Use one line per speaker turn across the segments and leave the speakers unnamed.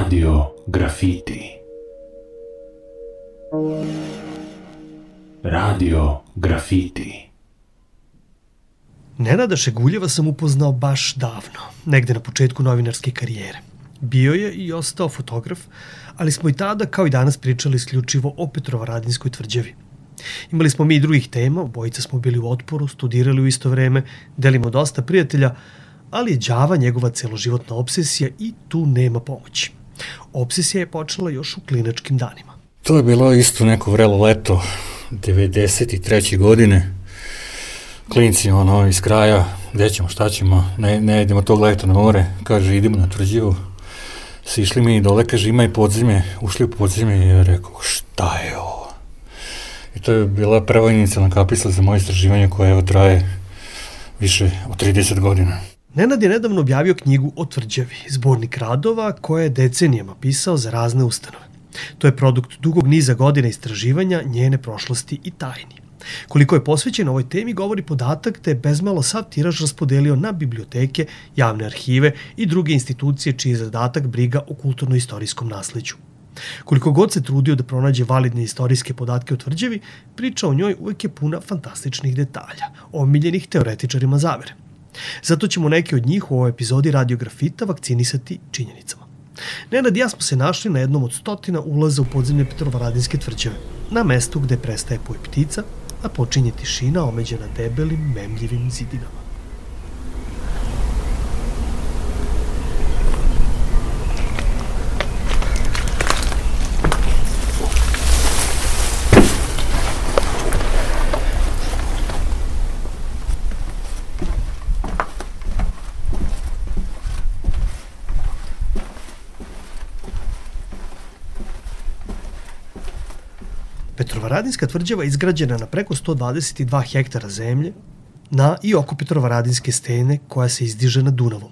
Radio Grafiti. Radio Grafiti.
Nenada Šeguljeva sam upoznao baš davno, negde na početku novinarske karijere. Bio je i ostao fotograf, ali smo i tada, kao i danas, pričali isključivo o Petrovaradinskoj tvrđavi. Imali smo mi i drugih tema, obojica smo bili u otporu, studirali u isto vreme, delimo dosta prijatelja, ali je đava njegova celoživotna obsesija i tu nema pomoći. Obsesija je počela još u klinačkim danima.
To je bilo isto neko vrelo leto, 93. godine. Klinci iz kraja, gde ćemo, šta ćemo, ne idemo tog leta na more, kaže idemo na tvrđavu. Sišli mi dole, kaže ima i podzemlje, ušli u podzemlje i ja rekao šta je ovo? I to je bila prva inicijalna kapisla za moje istraživanje koje evo traje više od 30 godina.
Nenad je nedavno objavio knjigu o tvrđavi, zbornik radova koje je decenijama pisao za razne ustanove. To je produkt dugog niza godina istraživanja njene prošlosti i tajni. Koliko je posvećen ovoj temi govori podatak da je bezmalo sav tiraž raspodelio na biblioteke, javne arhive i druge institucije čiji je zadatak briga o kulturno-istorijskom nasleđu. Koliko god se trudio da pronađe validne istorijske podatke o tvrđavi, priča o njoj uvek je puna fantastičnih detalja, omiljenih teoretičarima zavere. Zato ćemo neke od njih u ovoj epizodi Radio Grafita vakcinisati činjenicama. Nenad i ja smo se našli na jednom od 100 ulaza u podzemlje Petrovaradinske tvrđave, na mestu gde prestaje poj ptica, a počinje tišina omeđena debelim, memljivim zidinama. Petrovaradinska tvrđava je izgrađena na preko 122 hektara zemlje na i oko Petrovaradinske stene koja se izdiže nad Dunavom.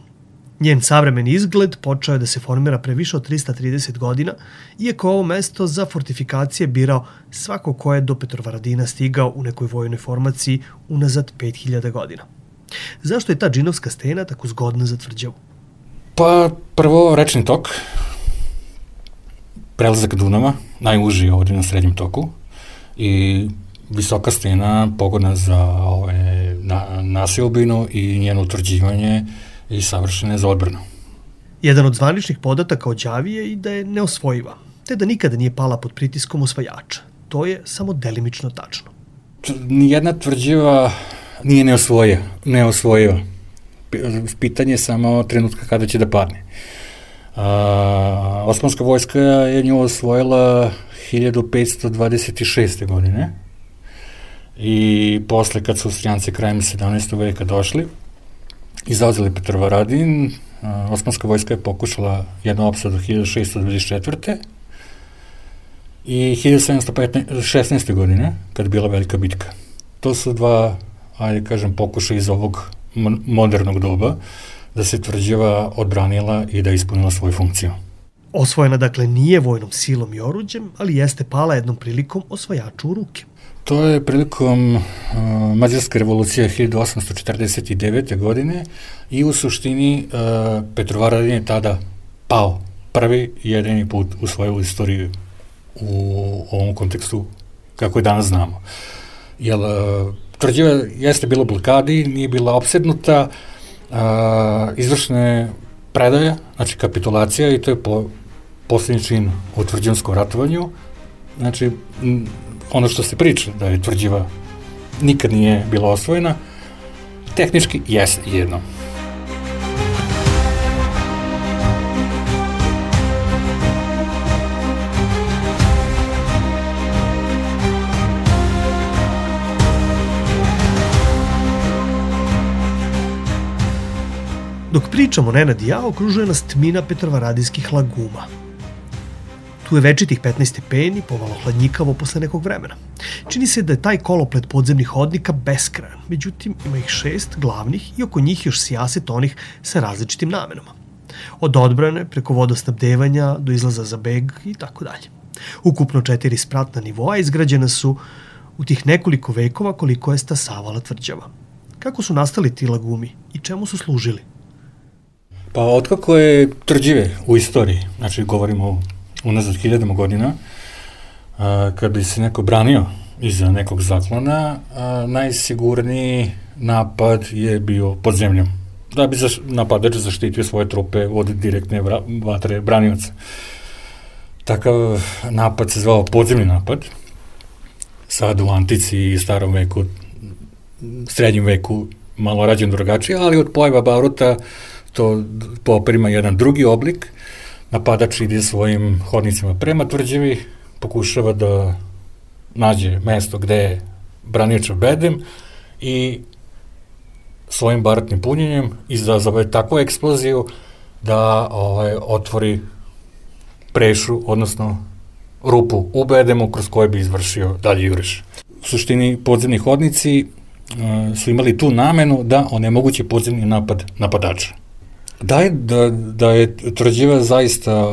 Njen savremeni izgled počeo je da se formira pre više od 330 godina, iako ovo mesto za fortifikacije birao svako ko je do Petrovaradina stigao u nekoj vojnoj formaciji unazad 5000 godina. Zašto je ta džinovska stena tako zgodna za tvrđavu?
Pa prvo rečni tok, prelazak Dunava, najuži ovdje na srednjem toku i visoka stena pogodna za naseobinu i njeno utvrđivanje i savršene za odbranu.
Jedan od zvaničnih podataka o đavi je i da je neosvojiva, te da nikada nije pala pod pritiskom osvajača. To je samo delimično tačno.
Nijedna tvrđava nije neosvojiva. Pitanje je samo trenutka kada će da padne. Osmanska vojska je nju osvojila 1526. godine i posle kad su Austrijanci krajem 17. veka došli i zauzeli Petrovaradin, osmanska vojska je pokušala jednu opsadu 1624. i 1716. godine, kad je bila velika bitka. To su dva, pokušaja iz ovog modernog doba, da se tvrđava odbranila i da je ispunila svoju funkciju.
Osvojena dakle nije vojnom silom i oruđem, ali jeste pala jednom prilikom osvajaču u ruke.
To je prilikom Mađarske revolucije 1849. godine i u suštini Petrovaradin je tada pao prvi i jedini put u svoju istoriju u ovom kontekstu kako je danas znamo. Jer tvrđava jeste bila u blokadi, nije bila opsednuta, izvršne predaja, znači kapitulacija i to je posljednji čin u tvrđanskom ratovanju. Znači, ono što se priča da je tvrđava nikad nije bila osvojena, tehnički jeste jedno.
Dok pričamo Nenad i ja, okružuje nas tmina Petrovaradinskih laguma. Tu je večitih 15 stepeni, pomalo hladnjikavo posle nekog vremena. Čini se da je taj koloplet podzemnih hodnika beskrajan, međutim ima ih 6 glavnih i oko njih još sijaset onih sa različitim namenama. Od odbrane, preko vodosnabdevanja, do izlaza za beg i tako dalje. Ukupno 4 spratna nivoa izgrađena su u tih nekoliko vekova koliko je stasavala tvrđava. Kako su nastali ti lagumi i čemu su služili?
Pa otkako je tvrđave u istoriji, znači govorimo unazad 1000 godina, kad bi se neko branio iza nekog zaklona, najsigurniji napad je bio pod zemljom, da bi napadač zaštitio svoje trupe od direktne vatre branioca. Takav napad se zvao podzemni napad, sad u antici i starom veku, srednjem veku malo rađen drugačije, ali od pojava baruta to poprima jedan drugi oblik. Napadač ide svojim hodnicima prema tvrđavi, pokušava da nađe mesto gde je braniočev bedem i svojim barutnim punjenjem izazove takvu eksploziju da otvori prešu, odnosno rupu u bedemu kroz koje bi izvršio dalje juriš. U suštini podzemni hodnici su imali tu namenu da onemoguće podzemni napad napadača. Da je tvrđava zaista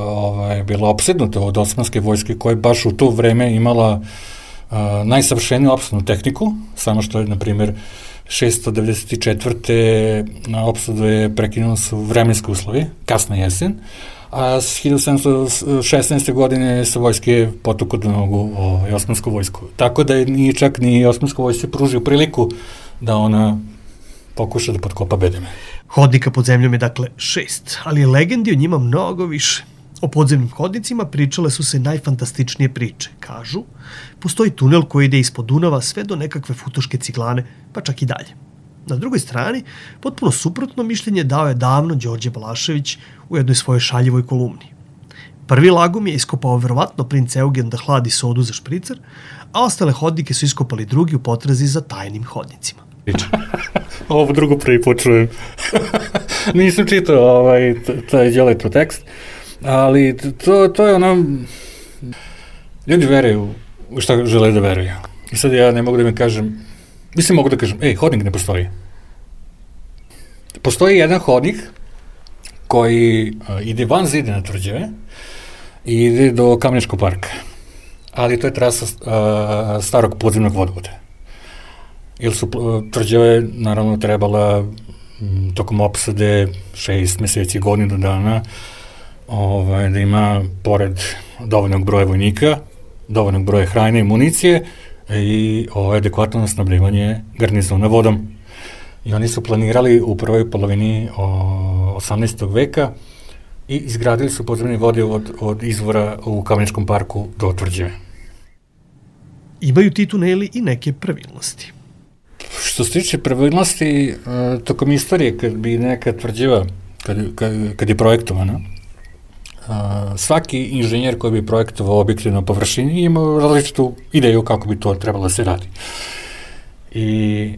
bila opsednuta od osmanske vojske koja je baš u to vreme imala najsavršeniju opsadnu tehniku, samo što je, na primjer, 694. na opsadu je prekinulo su vremenske uslovi, kasna jesen, a s 1716. godine sa vojske potuku do nogu osmansku vojsku. Tako da je nije čak ni osmanska vojska pružio priliku da ona pokuša da potkopa bedeme.
Hodnika pod zemljom je dakle 6, ali legendi o njima mnogo više. O podzemnim hodnicima pričale su se najfantastičnije priče. Kažu, postoji tunel koji ide ispod Dunava sve do nekakve Futoške Ciglane, pa čak i dalje. Na drugoj strani, potpuno suprotno mišljenje dao je davno Đorđe Balašević u jednoj svojoj šaljivoj kolumni. Prvi lagum je iskopao verovatno princ Eugen da hladi sodu za špricer, a ostale hodnike su iskopali drugi u potrazi za tajnim hodnicima.
Ovo drugo prvi put čujem. Nisam čitao taj Đoletov tekst, ali to je ono, ljudi veruju u šta žele da veruju. I sad ja ne mogu da mi kažem, mislim mogu da kažem, hodnik ne postoji. Postoji jedan hodnik koji ide van zidine tvrđave i ide do Kameničkog parka, ali to je trasa starog podzemnog vodovoda. Jer su tvrđave naravno trebala tokom opsade 6 meseci, godinu dana, da ima pored dovoljnog broja vojnika, dovoljnog broja hrane i municije i adekvatno snabdevanje garnizona vodom. I oni su planirali u prvoj polovini 18. veka i izgradili su podzemni vodovod od izvora u Kameničkom parku do tvrđave.
Imaju ti tuneli i neke pravilnosti.
Što se tiče pravilnosti, tokom istorije, kad bi neka tvrđava, kad je projektovana, svaki inženjer koji bi projektovao objekte na površini imao različitu ideju kako bi to trebalo da se radi. I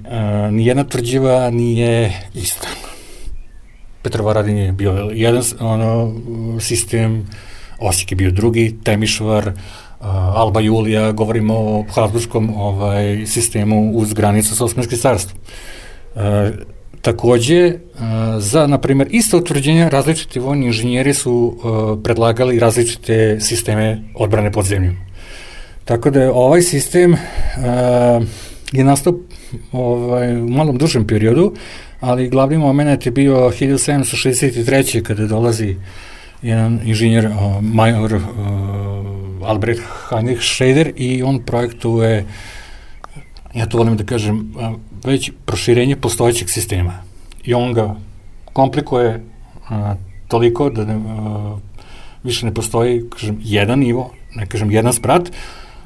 nijedna tvrđava nije ista. Petrovaradin je bio jedan sistem, Osijek je bio drugi, Temišvar, Alba Julija, govorimo o habsburgskom sistemu uz granicu sa Osmanskim carstvom. Takođe, za, na primjer, isto utvrđenje, različiti vojni inženjeri su predlagali različite sisteme odbrane pod zemljom. Tako da ovaj sistem je nastao u malom dužem periodu, ali glavni moment je bio 1763. kada dolazi jedan inženjer, major Albrecht Heinrich Schrader, i on projektuje, ja to volim da kažem, već proširenje postojećeg sistema. I on ga komplikuje toliko da više ne postoji, kažem, jedan nivo, ne kažem jedan sprat,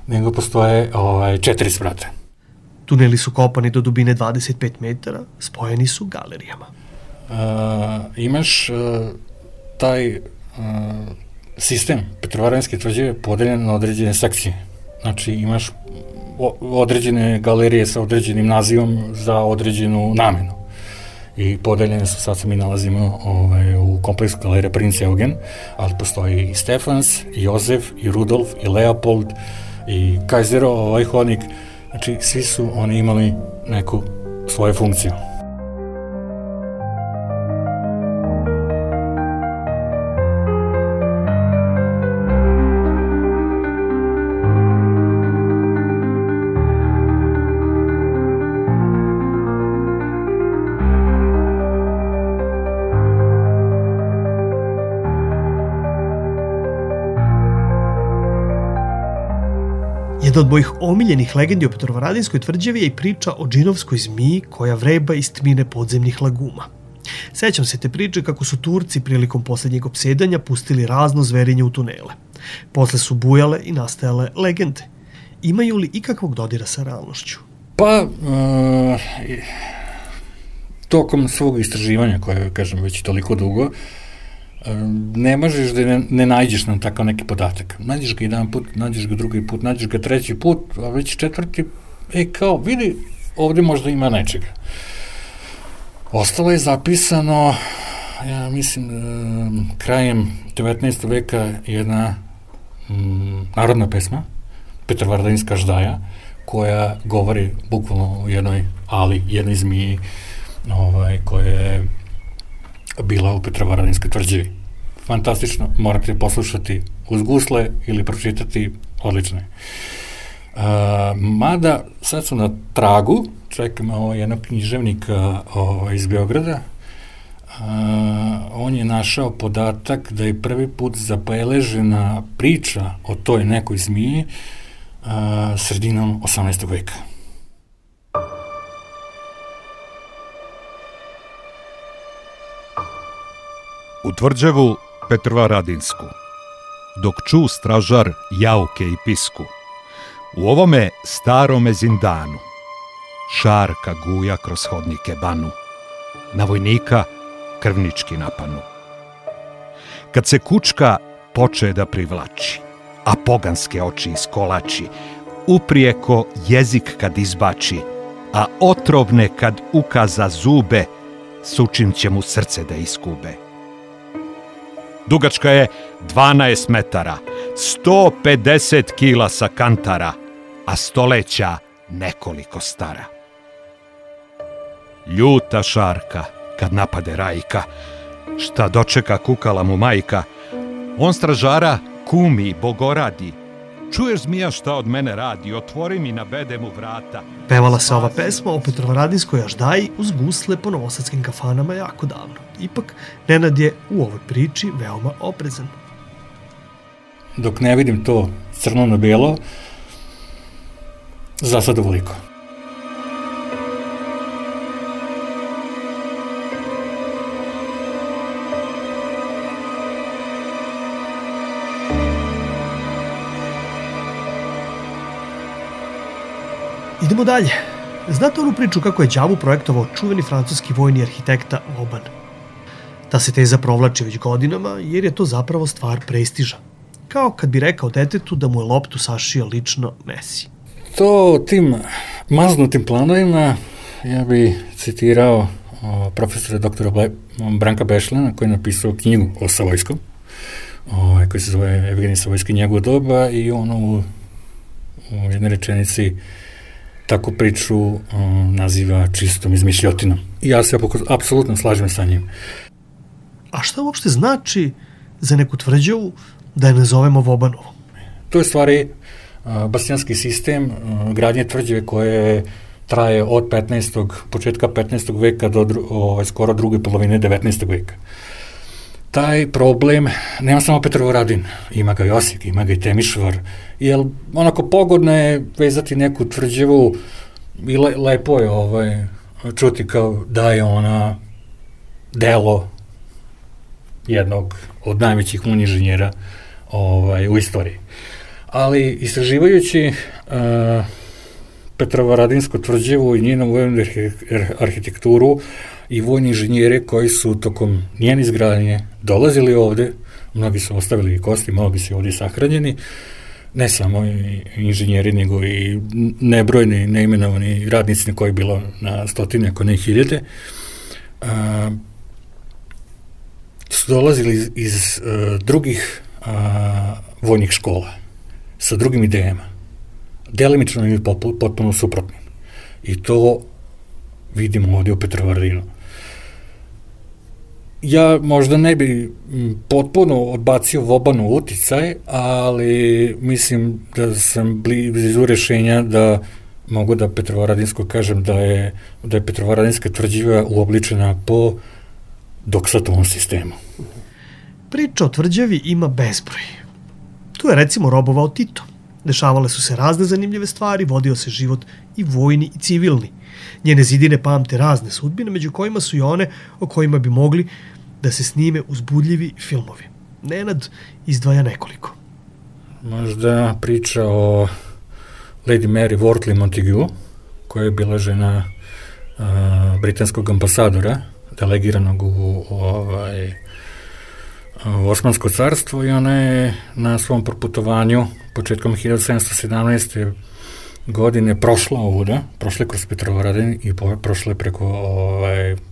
nego postoje 4 sprata.
Tuneli su kopani do dubine 25 metara, spojeni su galerijama.
Imaš taj sistem Petrovaradinske tvrđave podeljen na određene sekcije. Znači, imaš određene galerije sa određenim nazivom za određenu namenu. I podeljene su, sad se mi nalazimo u kompleksu galerije Princ Eugen, ali postoji i Stefans, i Jozef, i Rudolf, i Leopold, i Kajzerov hodnik. Znači, svi su oni imali neku svoju funkciju.
Jedna od mojih omiljenih legendi o Petrovaradinskoj tvrđavi je i priča o džinovskoj zmiji koja vreba iz tmine podzemnih laguma. Sećam se te priče kako su Turci prilikom posljednjeg opsedanja pustili razno zverinje u tunele. Posle su bujale i nastajale legende. Imaju li ikakvog dodira sa realnošću?
Pa, tokom svog istraživanja, koje, kažem, već toliko dugo, ne možeš da ne nađeš na takav neki podatak. Nađeš ga jedan put, nađeš ga drugi put, nađeš ga treći put, a već četvrti, kao, vidi, ovde možda ima nečega. Ostalo je zapisano, ja mislim, krajem 19. veka jedna narodna pesma, Petrovaradinska ždaja, koja govori bukvalno o jednoj ali, jednoj zmiji koja je bila u Petrovaradinskoj tvrđavi. Fantastično, morate poslušati uz gusle ili pročitati, odlično je. Mada, sad su na tragu, čekamo jednog književnika iz Beograda, on je našao podatak da je prvi put zabeležena priča o toj nekoj zmiji sredinom 18. veka.
U tvrđavu Petrovaradinsku, dok ču stražar jauke i pisku, u ovome starome zindanu, šarka guja kroz hodnike banu, na vojnika krvnički napanu. Kad se kučka poče da privlači, a poganske oči iskolači, uprijeko jezik kad izbači, a otrovne kad ukaza zube, sučim će mu srce da iskube. Dugačka je 12 metara, 150 kila sa kantara, a stoleća nekoliko stara. Ljuta šarka kad napade Rajka, šta dočeka kukala mu majka, on stražara kumi bogoradi, čuješ zmija šta od mene radi, otvori mi, nabede mu vrata.
Pevala se ova pesma o Petrovaradinskoj aždaji uz gusle po novosadskim kafanama jako davno. Ipak, Nenad je u ovoj priči veoma oprezan.
Dok ne vidim to crno na belo, za sad ovoliko.
Idemo dalje. Znate onu priču kako je đavu projektovao čuveni francuski vojni arhitekta Vauban? Ta se teza provlači već godinama jer je to zapravo stvar prestiža. Kao kad bi rekao detetu da mu je loptu sašio lično Messi.
To tim maznutim planovima ja bi citirao profesora doktora Branka Bešlena koji je napisao knjigu o Savojskom, koji se zove Evgenij Savojski njegov doba i on u jednoj rečenici takvu priču naziva čistom izmišljotinom. I ja se apsolutno slažem sa njim.
A šta uopšte znači za neku tvrđavu da je nazovemo Vaubanovo?
To je stvari bastijanski sistem gradnje tvrđave koje traje od početka 15. veka do skoro druge polovine 19. veka. Taj problem nema samo Petrovaradin, ima ga i Osijek, ima ga i Temišvar, jer onako pogodno je vezati neku tvrđavu i lepo je čuti kao da je ona delo jednog od najvećih inženjera u istoriji. Ali istraživajući Petrovaradinsku tvrđavu i njenu vojnu arhitekturu i vojni inženjere koji su tokom njene izgradnje dolazili ovde, mnogi su ostavili i kosti, mnogi su ovde sahranjeni, ne samo inženjeri, nego i nebrojni, neimenovani radnici koji je bilo na stotine, ako ne hiljade, su dolazili iz drugih vojnih škola, sa drugim idejama, delimično ili potpuno suprotnim. I to vidimo ovdje u Petrovaradinu. Ja možda ne bi potpuno odbacio Vaubanov uticaj, ali mislim da sam blizu rešenja da mogu da Petrovaradinsko kažem da je Petrovaradinska tvrđava uobličena po Doksatovom sistemu.
Priča o tvrđavi ima bezbroj. Tu je recimo robovao Tito. Dešavale su se razne zanimljive stvari, vodio se život i vojni i civilni. Njene zidine pamte razne sudbine, među kojima su i one o kojima bi mogli da se snime uzbudljivi filmovi. Nenad izdvaja nekoliko.
Možda priča o Lady Mary Wortley Montagu, koja je bila žena britanskog ambasadora, delegiranog u Osmansko carstvo, i ona je na svom proputovanju početkom 1717. godine prošla ovuda, prošla kroz Petrovaradin i prošla preko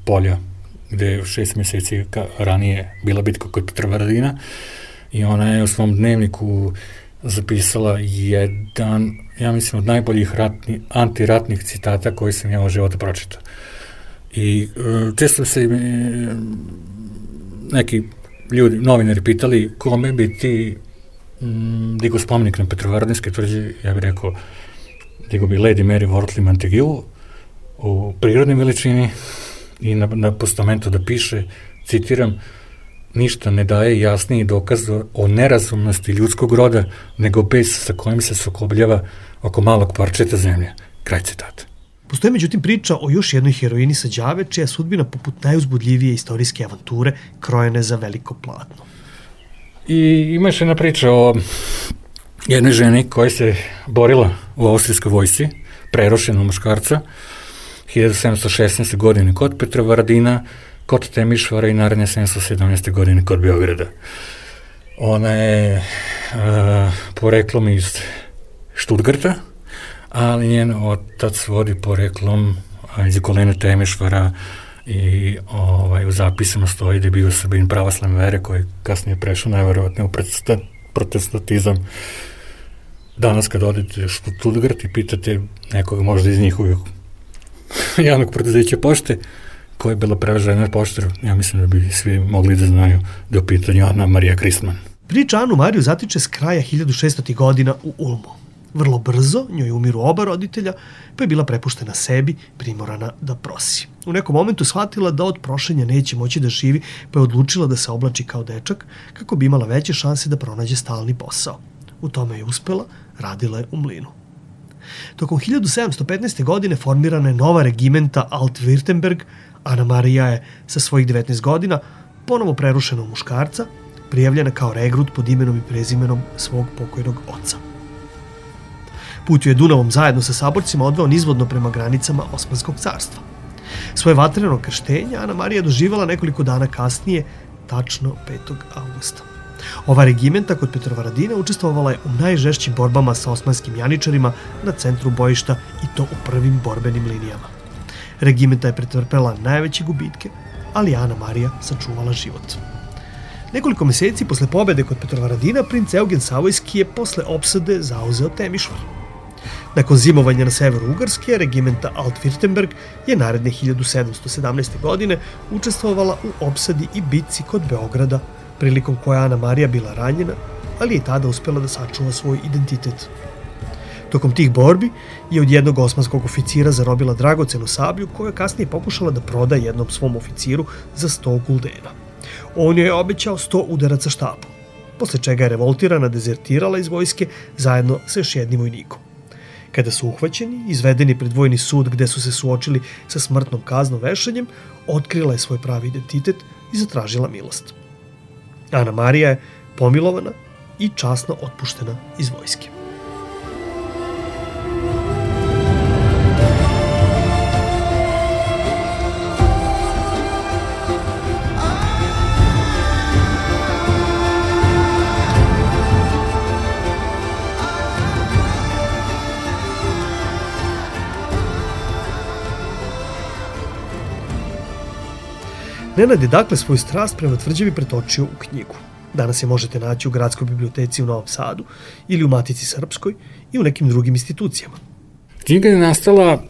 polja gde je 6 meseci ranije bila bitka kod Petrovaradina, i ona je u svom dnevniku zapisala jedan, ja mislim, od najboljih antiratnih citata koji sam ja u životu pročitao. I često se neki ljudi, novinari pitali kome bi ti digao spomenik na Petrovaradinske tvrđe. Ja bih rekao, digao bi Lady Mary Wortley Montagu u prirodnoj veličini i na postamentu da piše, citiram, ništa ne daje jasniji dokaz o nerazumnosti ljudskog roda nego bes sa kojim se sukobljava oko malog parčeta zemlje. Kraj citata.
Postoje međutim priča o još jednoj heroini sa Đave, čija sudbina poput najuzbudljivije istorijske avanture krojene za veliko platno.
I ima još jedna priča o jednoj ženi koja se borila u austrijskoj vojsci, prerošena muškarca, 1716. godine kod Petrovaradina, kod Temišvara i naredne 1717. godine kod Beograda. Ona je poreklom iz Štutgarta, ali njen otac vodi poreklom iz okoline Temišvara i u zapisima stoji da je bio Srbin pravoslavne vere koji je kasnije prešao najverovatnije u protestantizam. Danas kad odete u Štutgart i pitate nekoga možda iz njihovog javnog preduzeća pošte koja je bila prevažena poštar, ja mislim da bi svi mogli da znaju da je u pitanju Ana Marija Kristman.
Priča Anu Mariju zatiče s kraja 1600. godina u Ulmu. Vrlo brzo njoj umiru oba roditelja, pa je bila prepuštena sebi, primorana da prosi. U nekom momentu shvatila da od prošenja neće moći da živi, pa je odlučila da se oblači kao dečak, kako bi imala veće šanse da pronađe stalni posao. U tome je uspela, radila je u mlinu. Tokom 1715. godine formirana je nova regimenta Alt-Württemberg. Ana Marija je sa svojih 19 godina ponovo prerušena u muškarca, prijavljena kao regrut pod imenom i prezimenom svog pokojnog oca. Put ju je Dunavom zajedno sa saborcima odveo nizvodno prema granicama Osmanskog carstva. Svoje vatreno krštenje Ana Marija doživala nekoliko dana kasnije, tačno 5. avgusta. Ova regimenta kod Petrovaradina učestvovala je u najžešćim borbama sa osmanskim janičarima na centru bojišta, i to u prvim borbenim linijama. Regimenta je pretrpela najveće gubitke, ali Ana Marija sačuvala život. Nekoliko meseci posle pobede kod Petrovaradina, princ Eugen Savojski je posle opsade zauzeo Temišvar. Nakon zimovanja na severu Ugarske, regimenta Alt-Württemberg je naredne 1717. godine učestvovala u opsadi i bitci kod Beograda, prilikom koja Ana Marija bila ranjena, ali je tada uspela da sačuva svoj identitet. Tokom tih borbi je od jednog osmanskog oficira zarobila dragocenu sablju koju je kasnije pokušala da proda jednom svom oficiru za 100 guldena. On joj je obećao 100 udaraca štapom, posle čega je revoltirana dezertirala iz vojske zajedno sa još jednim vojnikom. Kada su uhvaćeni, izvedeni pred vojni sud gde su se suočili sa smrtnom kaznom vešanjem, otkrila je svoj pravi identitet i zatražila milost. Ana Marija je pomilovana i časno otpuštena iz vojske. Nenad je dakle svoju strast prema tvrđavi pretočio u knjigu. Danas je možete naći u Gradskoj biblioteci u Novom Sadu ili u Matici Srpskoj i u nekim drugim institucijama.
Knjiga je nastala,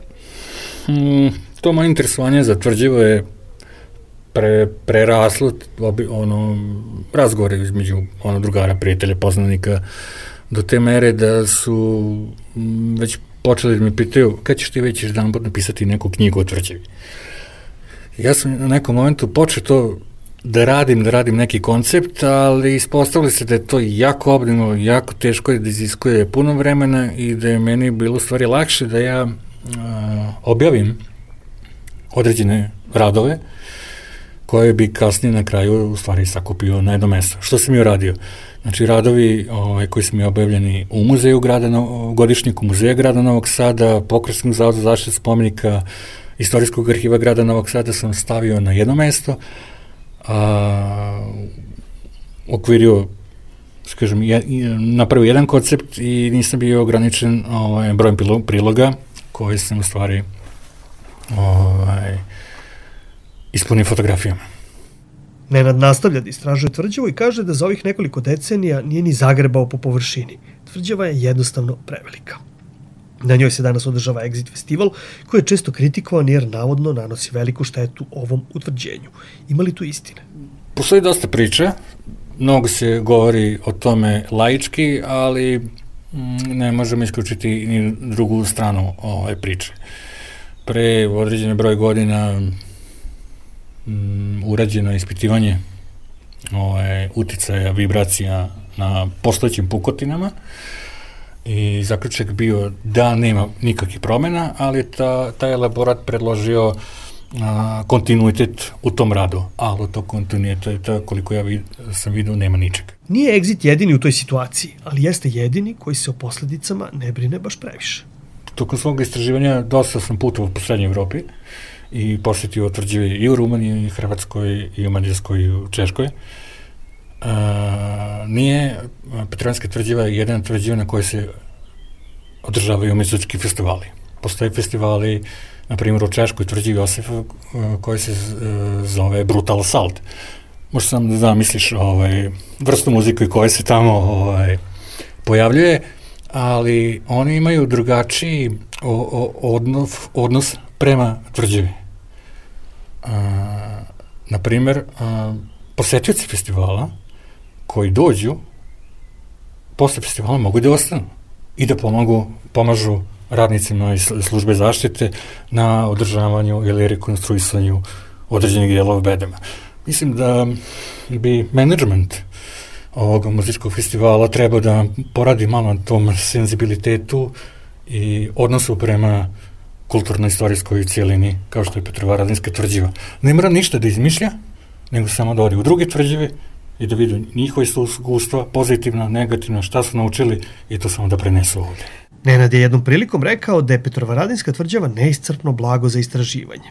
to moje interesovanje za Tvrđavu je preraslo razgovore između drugara, prijatelja, poznanika, do te mere da su već počeli da me pitaju kad ćeš ti već jedanput napisati neku knjigu o Tvrđavi. Ja sam na nekom momentu počeo to da radim neki koncept, ali ispostavili se da je to jako obimno, jako teško da iziskuje puno vremena i da je meni bilo u stvari lakše da ja objavim određene radove koje bi kasnije na kraju u stvari sakupio na jedno mesto. Što sam i uradio? Znači, radovi koji su mi objavljeni u muzeju godišnjiku Muzeja grada Novog Sada, Pokrajinskog zavoda za zaštitu spomenika, Istorijskog arhiva grada Novog Sada sam stavio na jedno mesto, okvirio, kažem, napravio jedan koncept i nisam bio ograničen brojem priloga koji sam u stvari ispunio fotografijama.
Nenad nastavlja da istražuje tvrđavu i kaže da za ovih nekoliko decenija nije ni zagrebao po površini. Tvrđava je jednostavno prevelika. Na njoj se danas održava Exit festival, koji je često kritikovan jer navodno nanosi veliku štetu ovom utvrđenju. Ima li tu istine?
Postoji dosta priča, mnogo se govori o tome laički, ali ne možemo isključiti ni drugu stranu ove priče. Pre određene broj godina urađeno ispitivanje uticaja vibracija na postojećim pukotinama i zaključak bio da nema nikakvih promena, ali taj elaborat predložio kontinuitet u tom radu, ali od tog kontinuiteta, koliko sam vidio, nema ničega.
Nije Exit jedini u toj situaciji, ali jeste jedini koji se o posledicama ne brine baš previše.
Tokom svog istraživanja dosta sam putovao po Srednjoj Evropi i posjetio tvrđave i u Rumuniji, i Hrvatskoj, i u Mađarskoj, i u Češkoj. Nije Petrovanska tvrđava jedna tvrđava na kojoj se održavaju muzički festivali. Postoje festivali, na primjer u Češkoj tvrđavi Josifa, koji se zove Brutal Assault. Možda sam da zamisliš vrstu muzike koja se tamo pojavljuje, ali oni imaju drugačiji odnos prema tvrđavi. Na primjer, posetioci festivala koji dođu posle festivala mogu da ostanu i da pomažu radnicima iz službe zaštite na održavanju ili rekonstruisanju određenih dijelova bedema. Mislim da bi menadžment ovog muzičkog festivala treba da poradi malo na tom senzibilitetu i odnosu prema kulturno-istorijskoj cijelini, kao što je Petrovaradinska tvrđava. Ne mora ništa da izmišlja, nego samo da odi u druge tvrđave i da vidu njihove iskustva, pozitivna, negativna, šta su naučili i to samo da prenesu ovde.
Nenad je jednom prilikom rekao da je Petrovaradinska tvrđava neiscrpno blago za istraživanje.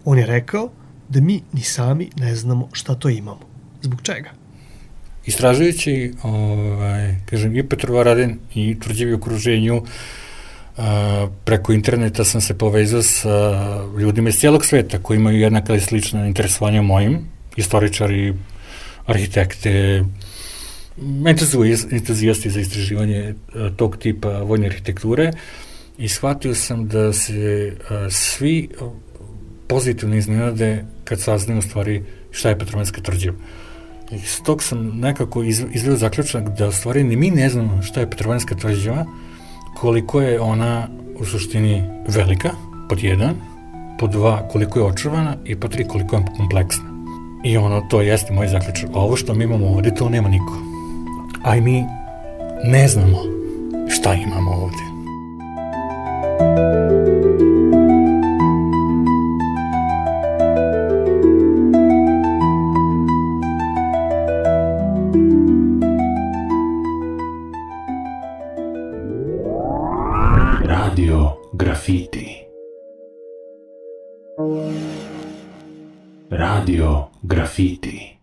On je rekao da mi ni sami ne znamo šta to imamo. Zbog čega?
Istražujući, kažem, i Petrovaradin i tvrđavi u okruženju, preko interneta sam se povezao sa ljudima iz cijelog sveta koji imaju jednaka i slična interesovanja mojim, istoričari, arhitekte, entuzijasti za istraživanje tog tipa vojne arhitekture i shvatio sam da se svi pozitivno iznenade kad saznaju u stvari šta je Petrovanska tvrđava. I s tog sam nekako izveo zaključak da u stvari ni mi ne znamo šta je Petrovanska tvrđava, koliko je ona u suštini velika, pod jedan, pod dva koliko je očuvana i pod tri koliko je kompleksna. I to jeste moj zaključak. Ovo što mi imamo ovde, to nema niko. A i mi ne znamo šta imamo ovde.
Radio Graffiti. Radio Graffiti.